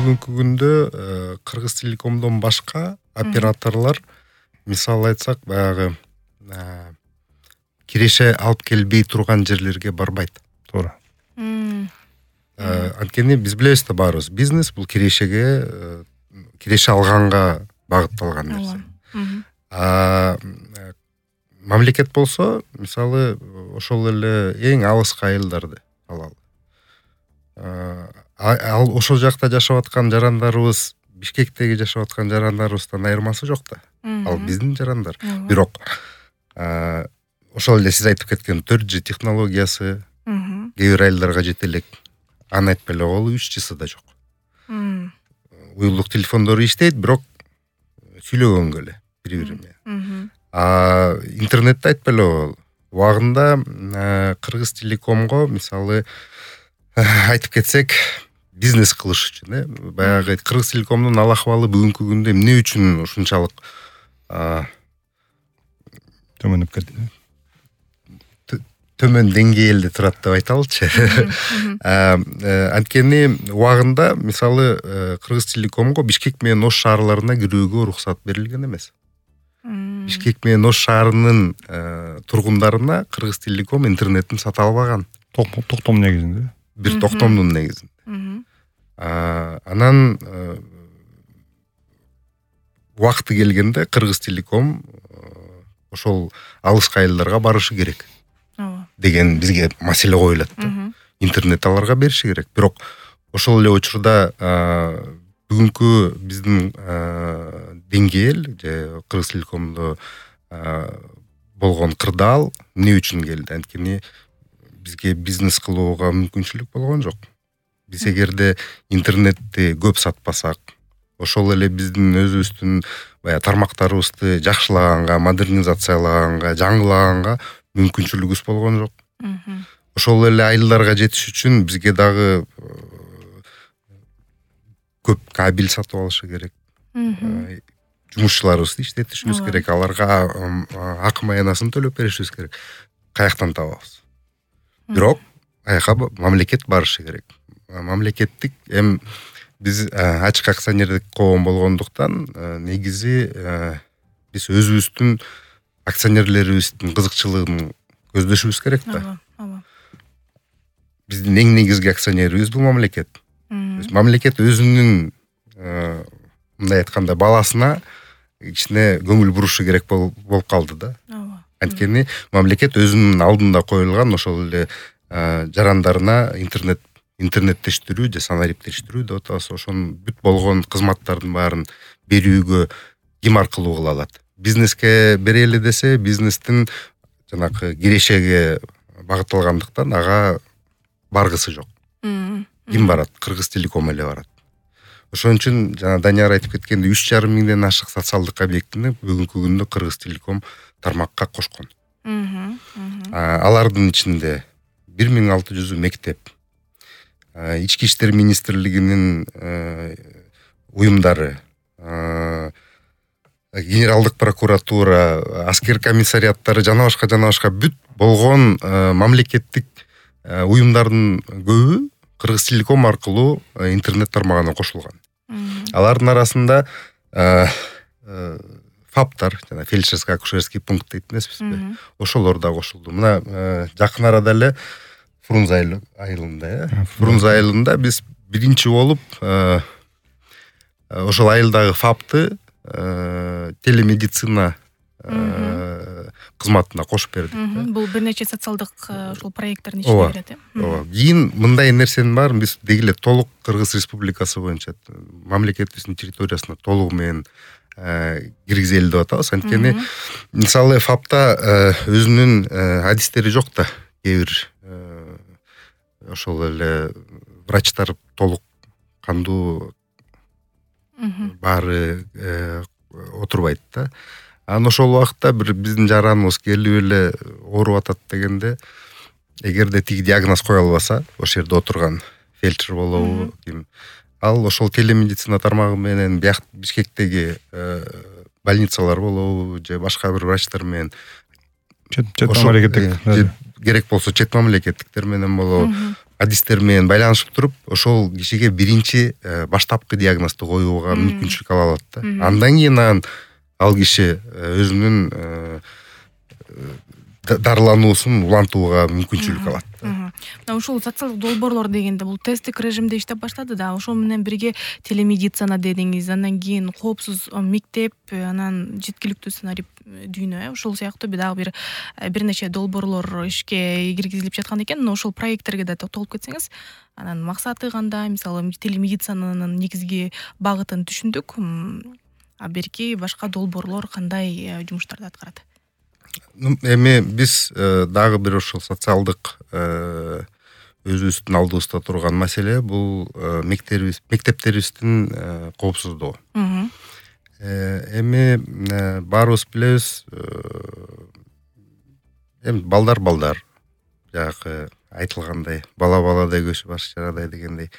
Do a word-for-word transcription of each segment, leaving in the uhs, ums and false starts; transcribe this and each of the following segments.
бүгүнкү күндө Кыргыз Телекомдон башка операторлор мисалы айтсак баягы киреше алып келбей турган жерлерге барбайт. Туура. Анткени биз билебиз да баарыбыз, бизнес бул кирешеге, киреше алганга багытталган нерсе. А мамлекет болсо, мисалы, ошол эле эң алыскы айылдарды алалы. Ал ошол жакта жашап аткан жарандарыбыз Бишкектеги жашап аткан жарандарыбыздан айырмасы жок да. Ал биздин жарандар. Бирок ошол эле сиз айтып кеткен төрт джи технологиясы кээ бир айылдарга жете элек. Аны айтпай эле коелу, үч джиси да жок. Уюлдук телефондору иштейт, бирок сүйлөгөнгө эле бири-бири менен. А интернетти айтпай эле коелу. Убагында Кыргыз Телекомго мисалы айтып кетсек, бизнес кылыш үчүн, э, баягы Кыргыз Телекомдун ал акыбалы бүгүнкү күндө эмне үчүн ушунчалык төмөндөп кетти? Төмөн деңгээлде турат деп айталычы. Анткени убагында мисалы Кыргыз Телекомго Бишкек менен Ош шаарларына кирүүгө уруксат берилген эмес. Бишкек менен Ош шаарынын тургундарына Кыргыз Телеком интернеттин сата албаган. Токтом негизинде. Бир токтомдун негизинде. Анан убакыты келгенде Кыргыз Телеком ошол алыскы айылдарга барышы керек деген бизге маселе коюлат да. Интернет аларга бериши керек. Бирок ошол эле учурда бүгүнкү биздин деңгээл же Кыргыз Телекомдо болгон кырдаал эмне үчүн келди? Анткени бизге бизнес кылууга мүмкүнчүлүк болгон жок. Биз эгерде интернетти көп сатпасак, ошол эле биздин өзүбүздүн бая тармактарыбызды жакшылаганга, модернизациялаганга, жаңылаганга мүмкүнчүлүгүбүз болгон жок. Ошол эле айылдарга жетиш үчүн бизге дагы көп кабель сатып алышы керек. Жумушчуларыбызды иштетишибиз керек, аларга акым аянасын төлөп беришибиз керек. Каяктан табабыз? Бирок аяка мамлекет барышы керек. Мамлекеттик эм биз ачык акционердик коом болгондуктан негизи биз өзүбүздүн акционерлерибиздин кызыкчылыгын көздөшүбүз керек да. Биздин эң негизги акционерибиз бул мамлекет. Мамлекет өзүнүн мындай айтканда баласына кичине көңүл бурушу керек болуп калды да. Анткени мамлекет өзүнүн алдында коюлган ошол эле жарандарына интернет интернеттештирүү же санариптештирүү деп атабыз, ошонун бүт болгон кызматтардын баарын берүүгө ким аркылуу кыла алат? Бизнеске берели десе, бизнестин жанакы кирешеге багытталгандыктан ага баргысы жок. Ким барат? Кыргыз Телеком эле барат. Ошон үчүн жана Данияр айтып кеткендей үч жарым миңден ашык социалдык объектини бүгүнкү күндө Кыргыз Телеком тармакка кошкон. Алардын ичинде бир миң алты жүзү мектеп, Ички иштер министрлигинин уюмдары, генералдык прокуратура, аскер комиссариаттары жана башка жана башка бүт болгон мамлекеттик уюмдардын көбү Кыргыз Телеком аркылуу интернет тармагына кошулган. Алардын арасында фаптар, жана фельдшерско-акушерский пункт дейт эмеспизби? Ошолор да кошулду. Мына жакын арада эле Фрунзе айылында, э? Фрунзе айылында биз биринчи болуп ошол айылдагы фапты телемедицина кызматына кошуп бердик. Бул бир нече социалдык ошол проектттердин ичине кирет, э? Ооба. Кийин мындай нерсенин баарын биз деги эле толук Кыргыз Республикасы боюнча мамлекетибиздин территориясына толугу менен киргизели деп атабыз. Анткени мисалы фапта өзүнүн адистери жок да. Кээ бир ошол эле врачтар толук кандуу баары отурбайт да. Анан ошол убакытта бир биздин жараныбыз келип эле ооруп атат дегенде, эгерде тиги диагноз кое албаса, ошол жерде отурган фельдшер болобу, ким, ал ошол телемедицина тармагы менен бияк Бишкектеги больницалар болобу же башка бир врачтар менен чет мамлекеттик керек болсо чет мамлекеттиктер менен болобу, адистер менен байланышып туруп, ошол кишиге биринчи баштапкы диагнозду коюуга мүмкүнчүлүк ала алат да. Андан кийин анан ал киши өзүнүн дарылануусун улантууга мүмкүнчүлүк алат. Мына ушул социалдык долбоорлор дегенде бул тесттик режимде иштеп баштады да. Ошол менен бирге телемедицина дедиңиз, андан кийин коопсуз мектеп, анан жеткиликтүү сценарий дүйнө, ошол сыяктуу дагы бир бир нече долбоорлор ишке киргизилип жаткан экен. Ошол проекттерге да токтолуп кетсеңиз, анан максаты кандай? Мисалы телемедицинанын негизги багытын түшүндүк. А берки башка долбоорлор кандай жумуштарды аткарат? Эми биз дагы бир ошол социалдык өзүбүздүн алдыбызда турган маселе бул мектебибиз мектептерибиздин коопсуздугу. Эми баарыбыз билебиз, эми балдар балдар жанагы айтылгандай бала баладай көчү баш жарадай дегендей.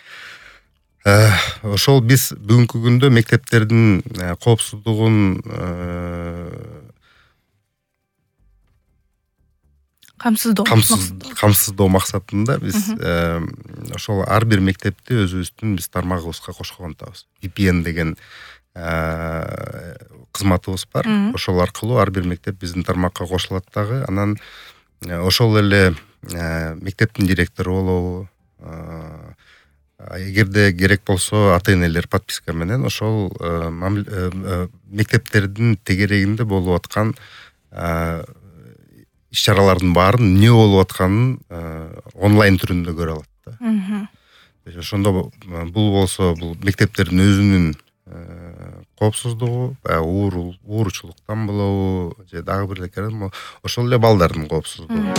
Ошол биз бүгүнкү күндө мектептердин коопсуздугун камсыздоо камсыздоо максатында биз ошол ар бир мектепти өзүбүздүн биз тармагыбызга кошкон атабыз. ви пи эн деген кызматыбыз бар. Ошол аркылуу ар бир мектеп биздин тармакка кошулат дагы. Анан ошол эле мектептин директору болобу, эгерде керек болсо ата-энелер подписка менен ошол мектептердин тегерегинде болуп аткан иш-чаралардын баарын эмне болуп атканын онлайн түрүндө көрө алат да. Ошондо бул болсо бул мектептердин өзүнүн коопсуздугу, ууручулуктан болобу, же дагы бир ошол эле балдардын коопсуздугу.